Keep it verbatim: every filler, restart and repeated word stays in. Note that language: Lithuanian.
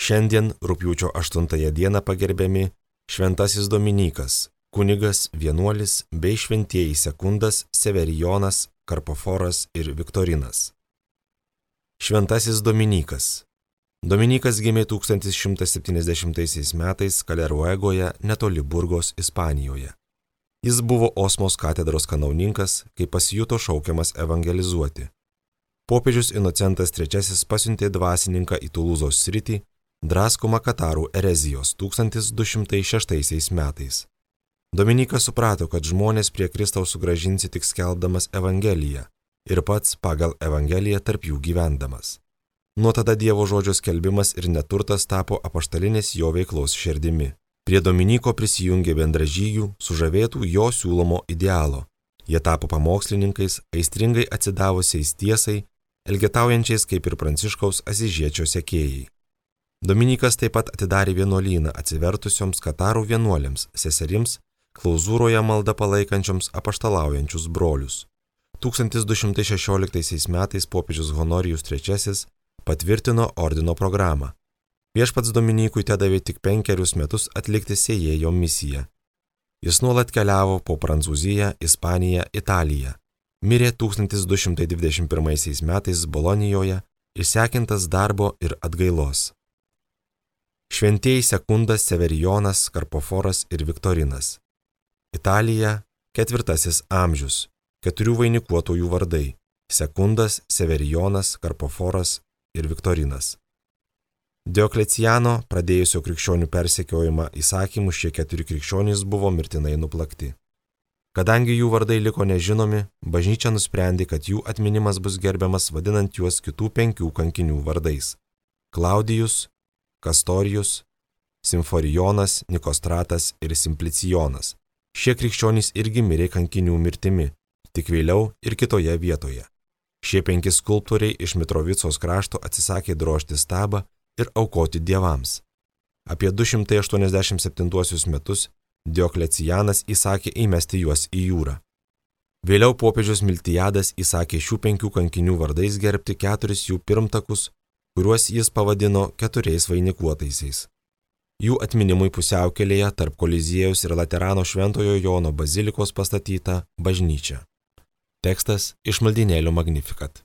Šiandien rugpjūčio aštuntąją dieną pagerbiami Šventasis Dominykas, kunigas, vienuolis bei šventieji Sekundas, Severijonas, Karpoforas ir Viktorinas. Šventasis Dominykas. Dominykas gimė tūkstantis šimtas septyniasdešimtaisiais metais Kaleruegoje netoli Burgos, Ispanijoje. Jis buvo Osmos katedros kanauninkas, kai pasijuto šaukiamas evangelizuoti. Popiežius Inocentas trečiasis pasiuntė dvasininką į Tulūzos sritį, draskomą katarų erezijos tūkstantis du šimtai šeštaisiais metais. Dominykas suprato, kad žmonės prie Kristaus sugrąžinsi tik skelbdamas Evangeliją ir pats pagal Evangeliją tarp jų gyvendamas. Nuo tada Dievo žodžio skelbimas ir neturtas tapo apaštalinės jo veiklos širdimi. Prie Dominyko prisijungė bendražygių, sužavėtų jo siūlomo idealo. Jie tapo pamokslininkais, aistringai atsidavusiais tiesai, elgetaujančiais kaip ir Pranciškaus Asyžiečio sekėjai. Dominykas taip pat atidarė vienuolyną atsivertusioms katarų vienuolėms, seserims, klauzūroje maldą palaikančioms apaštalaujančius brolius. tūkstantis du šimtai šešioliktaisiais metais popiežius Honorijus trečiasis patvirtino ordino programą. Viešpats Dominykui tedavė tik penkerius metus atlikti sėjėjo misiją. Jis nuolat keliavo po Prancūziją, Ispaniją, Italiją. Mirė tūkstantis du šimtai dvidešimt pirmaisiais metais Bolonijoje, išsekintas darbo ir atgailos. Šventieji Sekundas, Severijonas, Karpoforas ir Viktorinas. Italija, ketvirtasis amžius, keturių vainikuotojų vardai – Sekundas, Severijonas, Karpoforas ir Viktorinas. Diokleciano, pradėjusio krikščionių persekiojimą įsakymų, šie keturi krikščionys buvo mirtinai nuplakti. Kadangi jų vardai liko nežinomi, bažnyčia nusprendė, kad jų atminimas bus gerbiamas vadinant juos kitų penkių kankinių vardais – Klaudijus, Kastorijus, Simforijonas, Nikostratas ir Simplicijonas. Šie krikščionys irgi mirė kankinių mirtimi, tik vėliau ir kitoje vietoje. Šie penki skulptoriai iš Mitrovicos krašto atsisakė drožti stabą ir aukoti dievams. Apie du šimtai aštuoniasdešimt septintuosius metus Dioklecianas įsakė įmesti juos į jūrą. Vėliau popiežius Miltijadas įsakė šių penkių kankinių vardais gerbti keturis jų pirmtakus, kuriuos jis pavadino keturiais vainikuotaisiais. Jų atminimui pusiaukelėje tarp Koliziejaus ir Laterano Šventojo Jono bazilikos pastatyta bažnyčia. Tekstas iš maldynėlio Magnificat.